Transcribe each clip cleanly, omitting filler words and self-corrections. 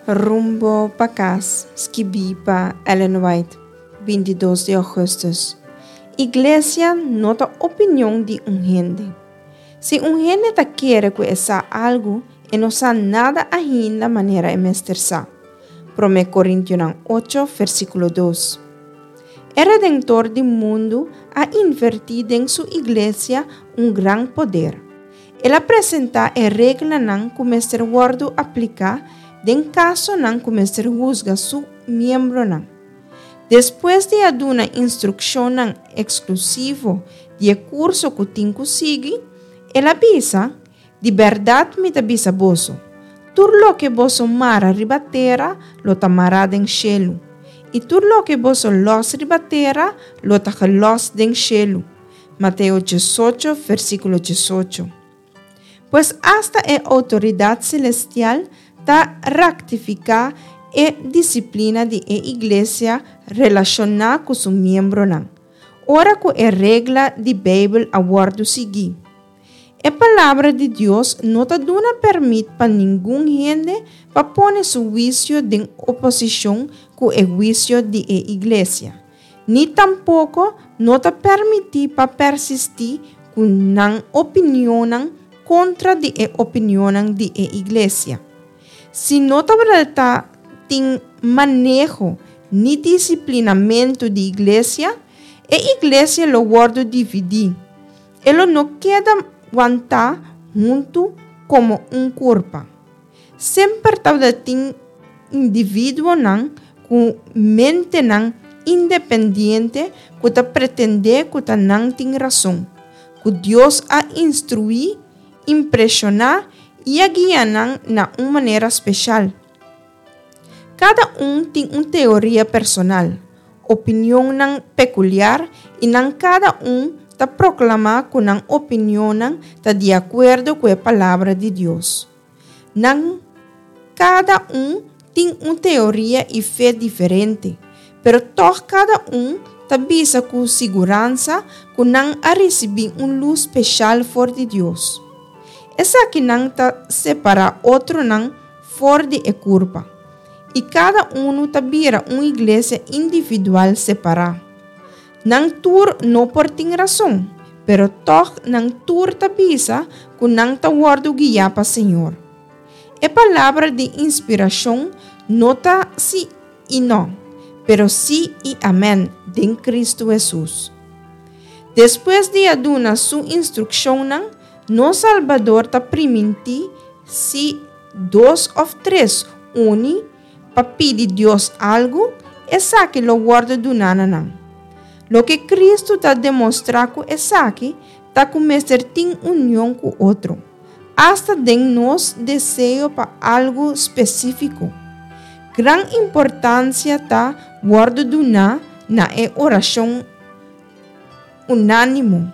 Rumbo pa kas, skibí pa Ellen White, 22 di ougùstùs. Iglesia no ta opinion di un hende. Si un hende ta kere ku e sa algu, e no sa nada ainda manera e mester sa. Promé Korintionan ocho, versíkulo dos. E Redentor di mundu a invertí den su iglesia un gran poder. El a presentá e reglanan ku mester wòrdu apliká den kasonan ku mester husga su miembronan. Despues di a duna instrukshonnan eksklusivo di e kurso ku tin ku sigui, el a bisa, Di bèrdat mi ta bisa boso, tur loke boso mara riba tera lo ta mará den shelu, i tur loke boso lòs riba tera lo ta gelòs den shelu. Mateo 18, versíkulo 18. Pues asta e outoridat selestial ta raktifiká e disiplina di e iglesia relashoná ku su miembronan, ora ku e regla di Beibel a wòrdu siguí. E Palabra di Dios no ta duna pèrmit pa ningun hende pa pone su huisio den oposishon ku e huisio di e iglesia. Ni tampoko no ta permití pa persistí ku nan opinionnan kontra di e opinionnan di e iglesia. Si no tabata tin maneho ni disiplinamentu di iglesia, e iglesia lo wòrdu dividí, e lo no keda wantá huntu komo un kurpa. Semper tabata tin individuonan ku mentenan independiente ku ta pretendé ku ta nan tin rason, ku Dios a instruí, impreshoná i a guia nan na un manera speshal. Kada un tin un teoria personal, opinionnan pekuliar i nan kada un ta proklamá ku nan opinionnan ta di akuerdo ku e Palabra di Dios. Nan kada un tin un teoria i fe diferente, pero tòg kada un ta bisa ku siguransa ku nan a risibí un lus speshal for di Dios. Esakinan ta separá otronan for di e kurpa, i kada unu ta bira un iglesia individual separá. Nan tur no por tin rason, pero tòg nan tur ta bisa ku nan ta wòrdu guiá pa Señor. E palabra di inspirashon no ta sí i nò, pero sí i amèn den Kristu Hesus. Despues di a duna Su instrukshonnan, nos Salbador ta primintí Si dos òf tres uni pa pidi Dios algu, esaki lo wòrdu duná na nan. Loke Kristu ta demostrá ku esaki ta ku mester tin union ku otro, asta den nos deseo pa algu spesífiko. Gran importansia ta wòrdu duná na e orashon unánimo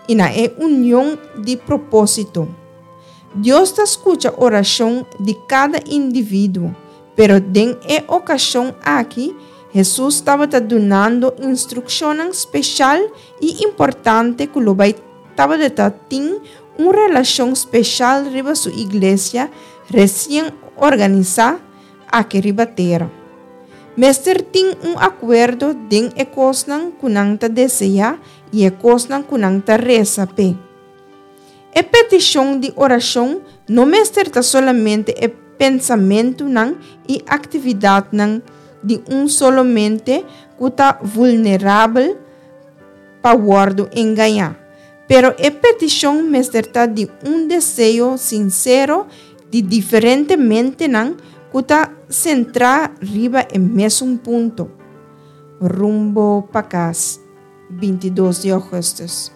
i na e union di propósito. Dios ta skucha orashon di kada individuo, pero den e okashon aki Hesus tabata dunando instrukshonnan speshal i importante ku lo bai tabata tin un relashon speshal riba su iglesia resien organisá aki riba tera. Mester tin un akuerdo den e kosnan ku nan ta deseá i e kosnan ku nan ta resa p'e. E petishon di orashon no mester ta solamente e pensamentunan i aktividatnan di un solo mente ku ta vulnerabel pa wòrdu engañá, pero e petishon mester ta di un deseo sinsero di diferente mentenan ku ta sentrá riba e mesun punto. Rumbo pa kas, 22 di ougùstùs.